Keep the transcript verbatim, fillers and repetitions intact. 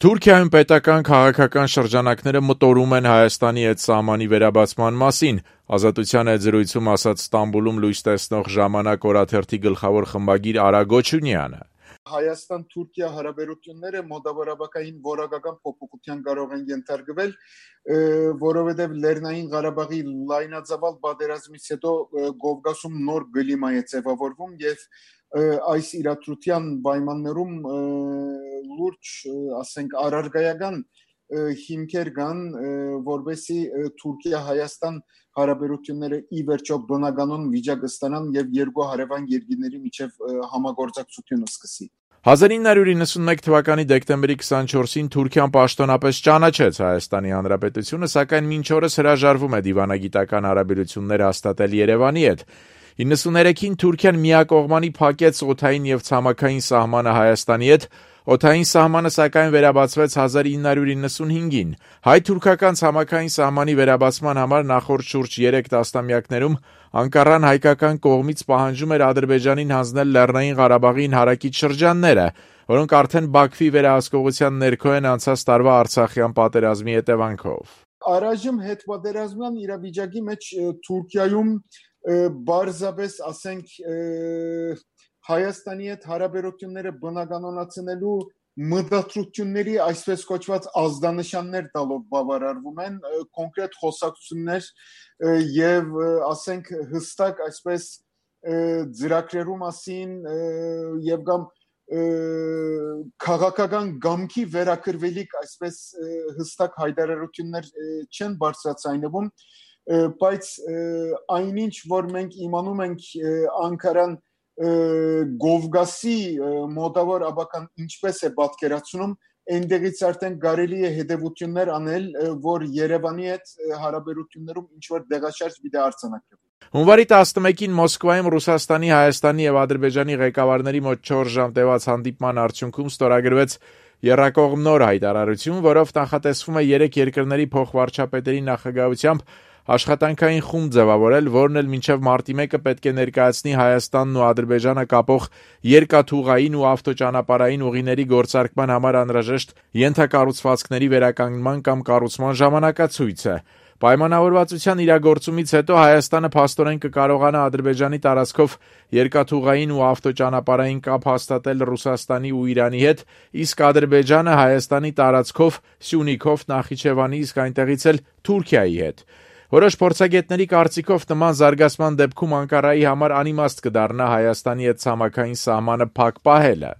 Թուրքիայում պետական քաղաքական շրջանակները մտորում են Հայաստանի հետ սահմանի վերաբացման մասին, Ազատության հետ զրույցում ասաց Ստամբուլում լույս տեսնող «Ժամանակ» օրաթերթի գլխավոր խմբագիր Արա Գոչունյանը։ Հայաստան-Թուրքիա հարաբերությունները մոտավորակային որակական փոփոխության կարող են ենթարկվել, որովհետև Լեռնային Ղարաբաղի լայնածավալ պատերազմից հետո Կովկասում նոր կլիմա է ձևավորվում եւ այս իրադրության պայմաններում լուրջ, ասենք, առարկայական հիմքեր կան, որովհետեւ Թուրքիա-Հայաստան հարաբերությունները ի վերջո բնականon վիճակ ստանան եւ երկու հարևան երկրների միջև համագործակցություն սկսի։ հազար ինը հարյուր իննսունմեկ թվականի դեկտեմբերի քսանչորսին Թուրքիան պաշտոնապես ճանաչեց Հայաստանի Հանրապետությունը, սակայն մինչ օրս հրաժարվում է դիվանագիտական հարաբերություններ հաստատել Երևանի հետ։ իննսուներեքին Թուրքիան միակողմանի փակեց օդային եւ ցամաքային սահմանը Հայաստանի հետ, օդային սահմանը սակայն վերաբացվեց հազար ինը հարյուր իննսունհինգին։ Հայ-թուրքական ցամաքային սահմանի վերաբացման համար նախորդ շուրջ երեք տասնամյակներում Անկարան հայկական կողմից պահանջում էր Ադրբեջանին հանձնել Լեռնային Ղարաբաղին հարակից շրջանները, որոնք արդեն Բաքվի վերահսկողության ներքո են անցած տարվա Արցախյան պատերազմի հետևանքով։ Առայժմ հետպատերազմյան իրավիճակի մեջ Թուրքիայում բարձրապես, ասենք, Հայաստանի հետ հարաբերությունները բնականոնացնելու մտադրությունների այսպես կոչված ազդանշաններ տալով բավարարվում են, կոնկրետ խոսակցություններ եւ, ասենք, հստակ այսպես ծրագրերու մասին եւ կամ քաղաքական գամքի վերակրվելիք այսպես հստակ հայտարարություններ չեն բարձրացնվում, բայց այնինչ որ մենք իմանում ենք Անկարան Կովկասի մոտավոր աբական ինչպես է պատկերացնում, այնտեղից արդեն կարելի է հետևություններ անել, որ Երևանի հետ հարաբերություններում ինչ-որ դեղաշարժ պիտի արձանագրվի։ Հունվարի տասնմեկին Մոսկվայում Ռուսաստանի, Հայաստանի եւ Ադրբեջանի ղեկավարների մոտ չորս ժամ տևած հանդիպման արդյունքում ստորագրվեց եռակողմ նոր հայտարարություն, որով նախատեսվում է երեք երկրների փոխվարչապետերի նախագահությամբ աշխատանքային խումբ ձևավորել, որն էլ մինչև մարտի մեկը պետք է ներկայացնի Հայաստանն ու Ադրբեջանը կապող երկաթուղային ու ավտոճանապարհային ուղիների գործարկման համար անհրաժեշտ ենթակառուցվածքների վերականգնման կամ կառուցման ժամանակացույցը։ Պայմանավորվածության իրագործումից հետո Հայաստանը փաստորեն կկարողանա Ադրբեջանի տարածքով երկաթուղային ու ավտոճանապարհային կապ հաստատել Ռուսաստանի ու Իրանի հետ, իսկ Ադրբեջանը Հայաստանի տարածքով Սյունիքով, Նախիջևանի, իսկ այնտեղից էլ Թուրքիայի հետ։ Որոշ փորձագետների կարծիքով նման զարգացման դեպքում Անկարայի համար անիմաստ կդառնա Հայաստանի հետ ցամաքային սահմանը փակ պահելը։